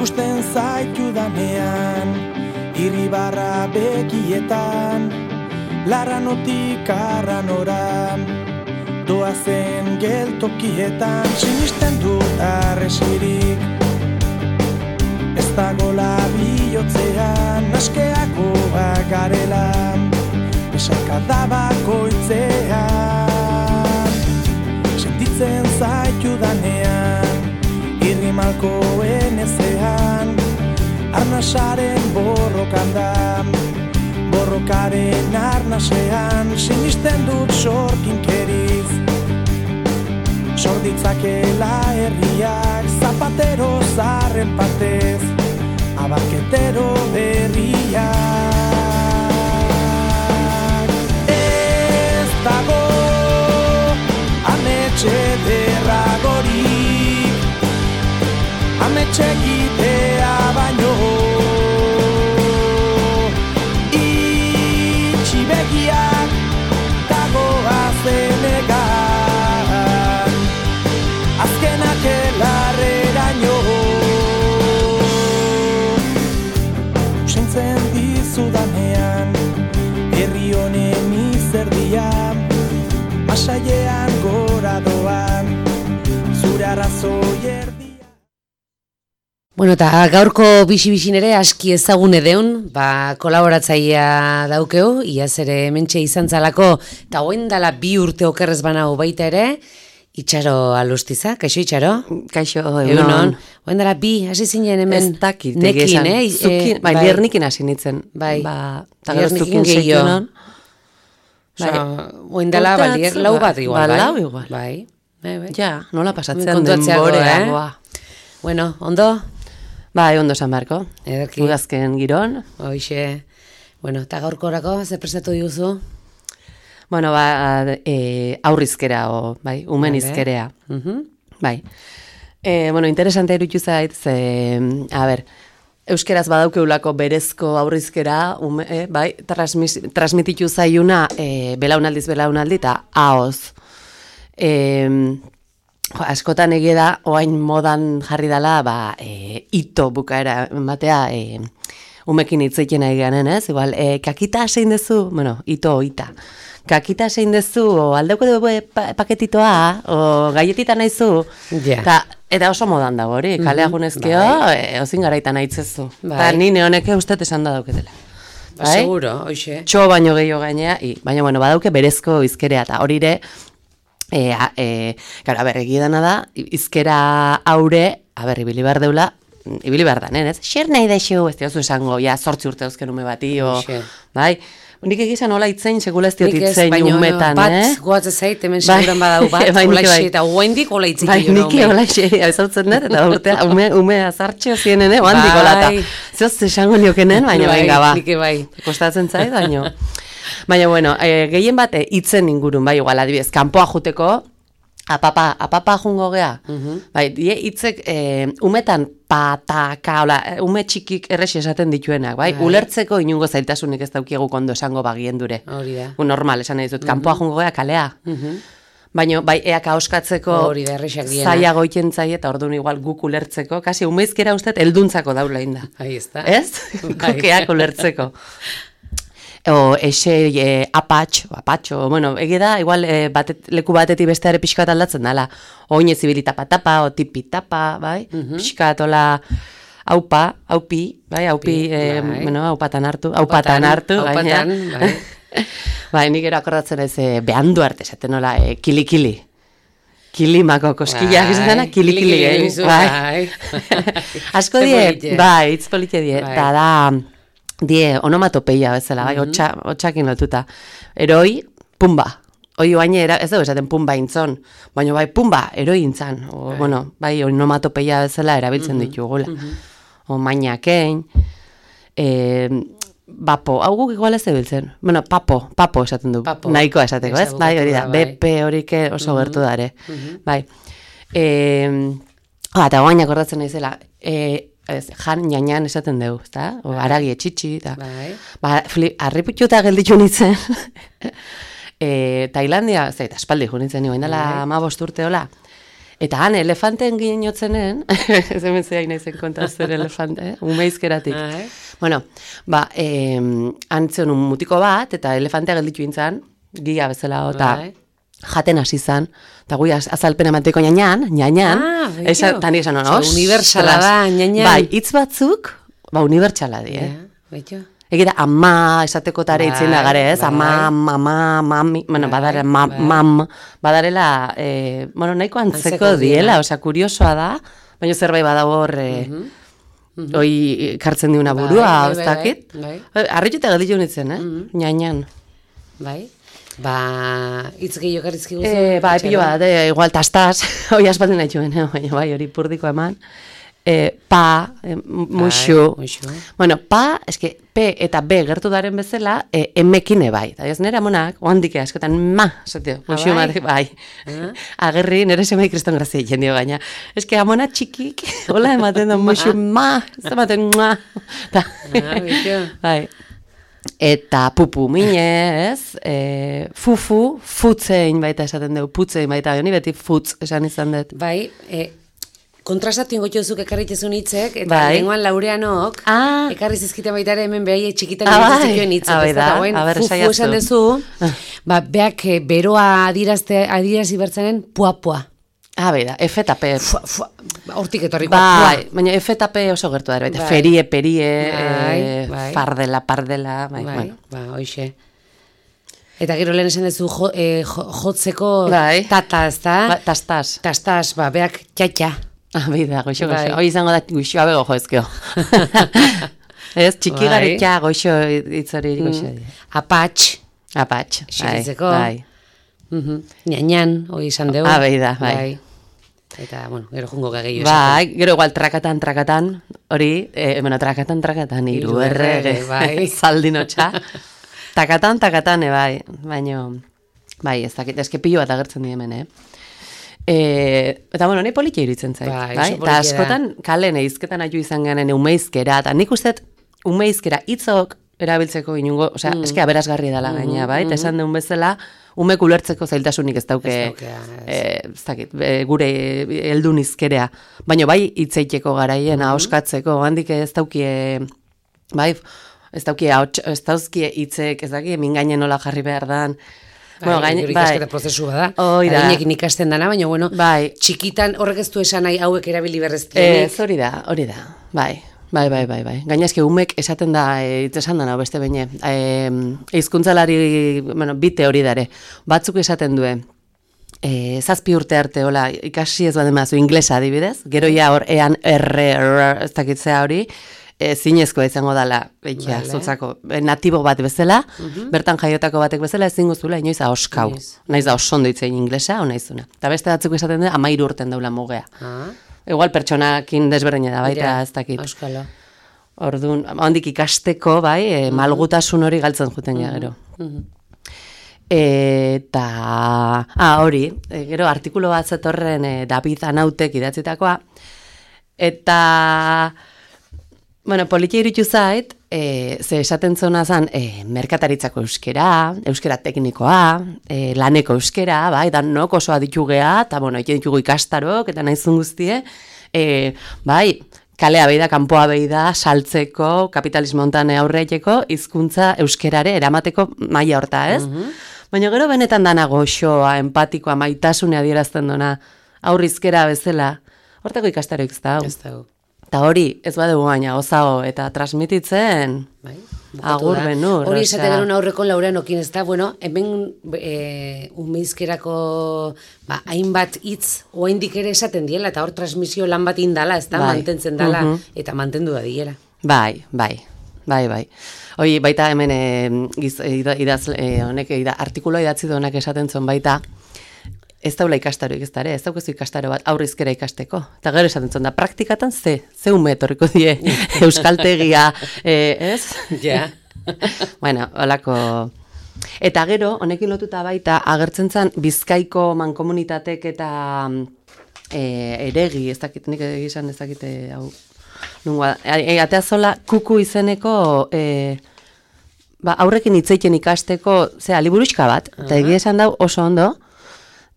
ikusten zaitu danean, irribarra bekietan, laranotik arranoran, doazen geltokietan, sinisten dut arresirik, ez dagola bihotzean, askeagoa garela, esakada bakoitzean, sentitzen zaitu danean, irrimalkoen ezean, arnasaren borrokan da, borrokaren arnasean, sinisten dut sorkinkeriz, sorditzakela herriak, zapatero zarren partez, abarketero berriak. Ez dago ametxe derragorik, ametxe egitea baino, itxi begiak dagoa zenegan, azkenak elarreraino. Usaintzen dizudanean, herri honen izerdia, masailean gora doan, zure arrazoi erdia. Bueno, eta gaurko bixi-bixin ere aski ezagun edeun, kolaboratzaia daukeu, iaz ere hementxe izan zalako, eta hoen dala 2 urte okerrez banau baita ere, Itxaro Alustiza, kaixo Itxaro? Kaixo, egunon. Hoen dala 2, hasi zinen hemen ez dakit, nekin, zukin, bai, liernikin hasi nintzen. Bai, liernikin gehiago. Hoen dala, lau bat igual, bai? Lau igual. Bai. Ja, nola pasatzen denborea. Bueno, ondo? Bai, ondo San Marko. Ederki. Udazken giron. Hoixe. Bueno, eta gaurkorako, ze prestatu diguzu? Bueno, aurrizkera, bai, umen izkerea. Bai. Bueno, interesante iruditu zait, euskeraz badaukeulako berezko aurrizkera, bai, transmititu zaiuna belaunaldiz belaunaldi eta ahoz. Askotan egia da, oain modan jarri dela, ito bukaera ematea, umekin hitzeiten nahi ganen, ez? Igual, kakita zein dezu, bueno, ito oita. Kakita zein dezu, o aldeuko dugu paketitoa, o galletita nahizu, eta oso modan dago hori, kalea junezkio, ozin garaitan haitzezu. Eta nine honeke ustez esan da dauketela. Seguro, hoxe. Txo baino gehiago gainea, baina, bueno, badauke berezko izkerea, eta hori ere, egidana da, izkera aure, ibili behar deula, ibili behar da, ez? Xer nahi da xo, ez diozu esango, 8 urte dauzken ume bati, bai? Nik egizan hola itzein, segula ez diot itzein umetan, bat goatze zait, hemen seguran badau bat, hola isi, eta guaindik hola itzik bai, niki hola isi, ezautzen dut, eta urtea, ume azartxeo zienen, oandik hola, eta zehoz esango niokenen, baina benga, kostatzen zait, baina. Baina, bueno, gehien bat hitzen ingurun, bai, igual, adibidez, kanpoa juteko, apapa jungo gea, bai, hitzek umetan pataka, ume txikik errexi esaten dituenak, bai, ulertzeko inungo zailtasunik ez daukiegu kondo esango bagien dure. Hori da. Normal, esan nahi dut, kanpoa jungo gea, kalea. Baina, bai, eak ahoskatzeko zaila goiten zai, eta orduan igual guk ulertzeko, kasi umeizkera usteet elduntzako daula inda. Ahí está. Ez? Gukeak ulertzeko. O apatxo, bueno, egida, igual leku batetik besteare pixka bat aldatzen dela. Oin ezibili tapa, o tipi tapa, bai? Pixka tola aupi, bai? Aupatan hartu, bai. Bai, nik ero akordatzen ez, behandu arte esaten nola, kili-kili. Kilimako koskilak izatena, kili-kili, bai? Asko die, bai, hitz polite die, eta da, onomatopeia bezala, bai, hotxakin lotuta. Eroi, pumba. Hoi baina, ez dugu esaten pumba intzon, baina bai, pumba, eroi intzan. Bueno, bai, onomatopeia bezala erabiltzen ditugula. O mainakein, bapo, hau guk igual ez ebiltzen. Bueno, papo esaten du. Nahikoa esateko, ez? Bai, hori da, bepe horik oso gertu dare. Bai. Eta guaina akordatzen naizela, jan ñañan esaten dugu, ezta? O aragi etxitxi, eta... Arriputxuta gelditu nintzen. Tailandia, aspaldi jo nintzen, nioen dela 15 urte hola. Eta han elefanten ginotzenen, ez hemen zehain naizen kontazten elefante, umeizkeratik. Bueno, han zion un mutiko bat, eta elefantea gelditu intzan, gia bezala, eta jaten hasi zan, eta gui azalpen emateko ñañan, eta ni esan honoz. Unibertsala da, ñañan. Bai, hitz batzuk, unibertsala di, Egira, ama, esateko tare itzin da gare, ez? Ama, mama, mami, bueno, badarela, nahiko antzeko diela, osea, kuriosoa da, baina zerbait badago hor, hoi kartzen diuna burua, ez dakit? Arritxeta gelditu nintzen, ñañan. Bai? Itz gehiago karrizki guzu? Pilo bat, igual tastaz, hoi aspaldin nahi txuen, baina bai, hori purdiko eman. Muxu. Bueno, eske, P eta B gertu daren bezala, emekine bai. Da ez nera monak, oandik askotan, zatio, muxu matek, bai. Agerri, nire semai kriston grazia egin dio gaina. Eske, amona txikik, hola ematen da, muxu, ez ematen, bai. Eta pupu mine, ez? Fufu, futzein baita esaten dugu, putzein baita, ni beti futz esan izan dut. Bai, kontrastatu ingotio duzuk ekarritezun hitzek, eta lenguan Laureanok, ekarri zizkiten baita ere hemen behai txikitan egitezikioen hitzek, ez da, fufu esan dezu, beak beroa adirazi bertzenen pua-pua. Beda, F eta P. Hortik etorriko. Baina F eta P oso gertu da, baita, perie, pardela, hoxe. Eta gero lehen esan dezu jotzeko tata, ez da? Tastaz, beak txatxa. Bida, goxo. Hoi izango da goxoa bego joezkeo. Ez, txiki garetxa goxo itzori goxo. Apatx. Xeritzeko. Ñañan, hoi izan dugu. Bida, bai. Eta, bueno, gero jungo gageio esaten. Bai, gero igual trakatan, hori, trakatan, iru errege, zaldinotxa. Takatan, bai, baina, bai, ez dakit, ezke pilo bat agertzen di hemen, Eta, bueno, nahi politia iritzen zait, bai? Eta askotan, kalen eizketan aju izan genen umeizkera, eta nik uste umeizkera hitzok erabiltzeko inungo, osea, eske aberasgarri dela gaina, bai? Eta esan deun bezala, umek ulertzeko zailtasunik ez dauke, ez dakit, gure heldun izkerea. Baina bai hitzeiteko garaien, ahoskatzeko, handik ez daukie, bai, ez dauzkie hitzek, ez dakit, mingainen nola jarri behar dan. Ikasketa prozesu bada. Adinekin ikasten dana, baina, bueno, txikitan horrek ez du esan nahi hauek erabili berreztienik. Hori da, bai. Gaina eske umek esaten da, esan dana, beste beine, eizkuntzalari, bite hori dare, batzuk esaten duen, 7 urte arte, hola, ikasi ez baden mazu, inglesa adibidez, gero ja hor, ean ez dakitzea hori, zinezkoa izango dela, zotzako, natibo bat bezala, bertan jaiotako batek bezala, ezin guztula, inoiz ahoskau. Naiz da osondo itzein inglesa, o naizuna. Eta beste batzuk esaten da, 13 urten daula mugea. Igual pertsonakin desberdina da, baita, ez dakit. Auskalo. Orduan, handik ikasteko, bai, malgutasun hori galtzen juten gero. Eta, hori, gero artikulu bat zetorren David Anautek idatzitakoa, eta... Bueno, politia irutu zait, ze esaten zona zen merkataritzako euskera teknikoa, laneko euskera, bai, danok oso aditu geha, eta, bueno, egin ditugu ikastarok, eta nahizun guztie, bai, kalea behi da, kanpoa behi da, saltzeko, kapitalismo hontan aurreiteko, hizkuntza euskerare eramateko maila horta, ez? Baina gero benetan dana goxoa, empatikoa, maitasune adierazten dona, aurrizkera bezala, hortako ikastaroik ez da, Eta hori, ez badugu baina, ozago, eta transmititzen, agur benur. Hori esate garen aurreko Laureanokin, ez da, bueno, hemen umeizkerako hainbat hitz oaindik ere esaten diela, eta hor transmisio lan bat indala, ez da, mantentzen dala, eta mantendu da diela. Bai. Hoi, baita hemen artikuloa idatzi duenak esaten zuen baita, ez daula ikastaroik ez dara, ez daukezu ikastaro bat aurrizkera ikasteko. Eta gero esaten zuen da, praktikatan ze ume etorriko die euskaltegia, ez? Ja. Bueno, holako... Eta gero, honekin lotuta baita, agertzen zen Bizkaiko mankomunitatek eta eregi, ez dakit, nik egizan ez dakit, hau... Atea zola, kuku izeneko... aurrekin hitzeiten ikasteko, liburuxka bat, eta egia esan dau oso ondo,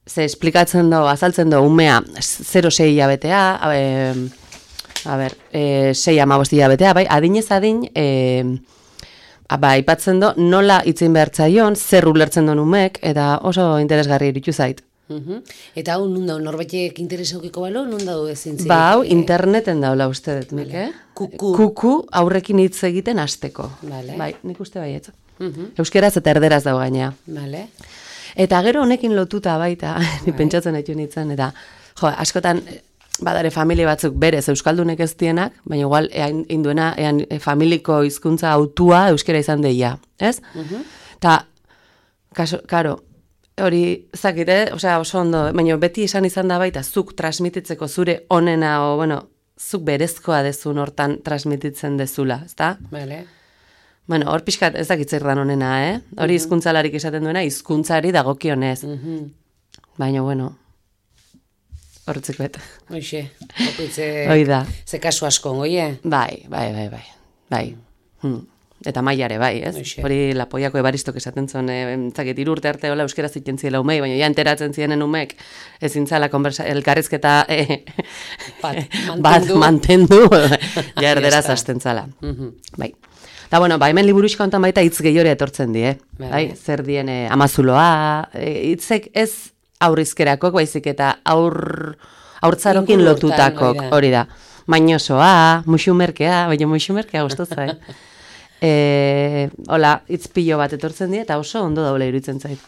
ze esplikatzen do, azaltzen do, umea 0-6 hilabetea, 6-15 hilabetea, bai, adinez adin, aipatzen do, nola itzin behar zaion, zer ulertzen duen umek, eta oso interesgarri iritu zait. Eta hau, nun dago, norbaitek interesaukiko balo, nun dago ezin zirik? Ba, hau, interneten daula uste dut, Mike. Kuku aurrekin hitz egiten hasteko. Bai, nik uste baietz. Euskeraz eta erderaz dago gainea. Eta gero honekin lotuta baita, ni pentsatzen haitu nintzen, eta askotan, badare familia batzuk berez euskaldunek ez dienak, baina igual induena familiko hizkuntza autua euskera izan deia, ez? Eta, karo, hori zakite, oso ondo, baina beti izan da baita, zuk transmititzeko zure onena, zuk berezkoa dezun hortan transmititzen dezula, ezta? Bueno, hor pixkat ez dakitzer dan onena, Hori hizkuntzalarik esaten duena, hizkuntzari dagokionez. Baina, horretzeko eta. Hoxe, ze kasu asko, goie? Bai. Eta maiare, bai, ez? Hori Lapoiako Ebaristok esaten zuen, zakit, 3 urte arte hola euskera zitzen ziela umei, baina ja enteratzen zienen umek, ezin zala elkarrizketa bat mantendu, ja erderaz hasten zala. Bai. Eta, hemen liburuxka hontan baita hitz gehiore etortzen die, bai? Zer dien amazuloa, hitzek ez aurrizkerakok, baizik eta aurtzarokin lotutakok, hori da. Mainosoa, musumerkea, baina musumerkea gustotza, hola, itzpillo bat etortzen die, eta oso ondo daula iruditzen zait.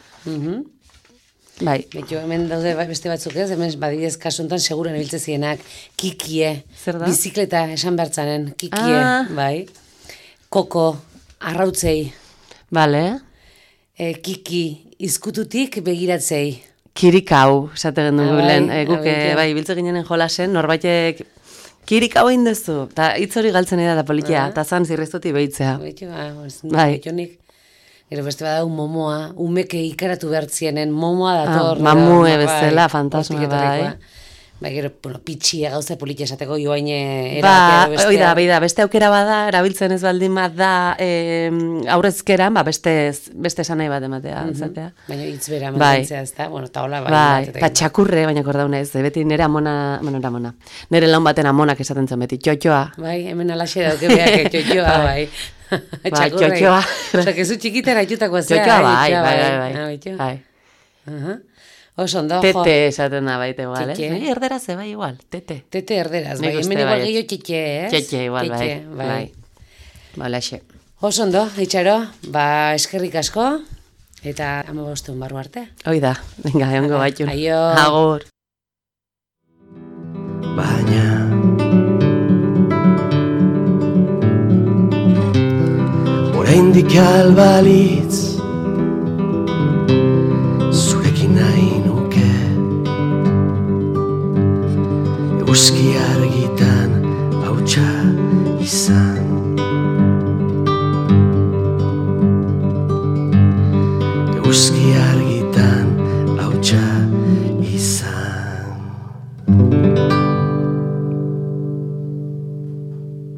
Bai. Betxo, hemen daude beste batzuk ez, hemen badidez kasuntan seguren ebiltze zienak, kikie, bizikleta esan bertzanen, kikie, bai. Koko, arrautzei. Bale. Kiki, izkututik begiratzei. Kirikau, esate gendu gulen, guke, bai, biltze ginenen jolasen, norbaitek kirikau egin dezu, eta hitz hori galtzen da politia, eta zan zirreztuti behitzea. Bai. Gero beste badau momoa, umeke ikaratu behartzienen, momoa dator. Mamue bezala, fantasma, bai. Bai, gero, pitxia gauza politia esateko joaine erabatea. Bai da, beste aukera bada, erabiltzen ez baldin bat da aurrezkeran, beste esan nahi bat ematea. Baina hitz bera mantentzea ez da, eta hola bai. Eta txakurre, baina kordaunez, beti nire amona, nire laun baten amonak esaten zen beti, txotxoa. Bai, hemen alaxe dauke behak, txotxoa, bai. Txotxoa. Osa, kezu txikitera itxutakoa zea. Txotxoa, bai. Osondo, tete esaten da baita igual, erderaz, bai, igual, tete. Tete erderaz, bai, hemen igual gehiago txetxe, ez? Txetxe, igual, bai. Balaxe. Osondo, Itxaro, eskerrik asko, eta 15 barru arte. Oida, venga, egongo baitun. Aio. Agur. Baina oraindik albalitz zurekin nahi nuke eguzki argitan hautsa izan eguzki argitan hautsa izan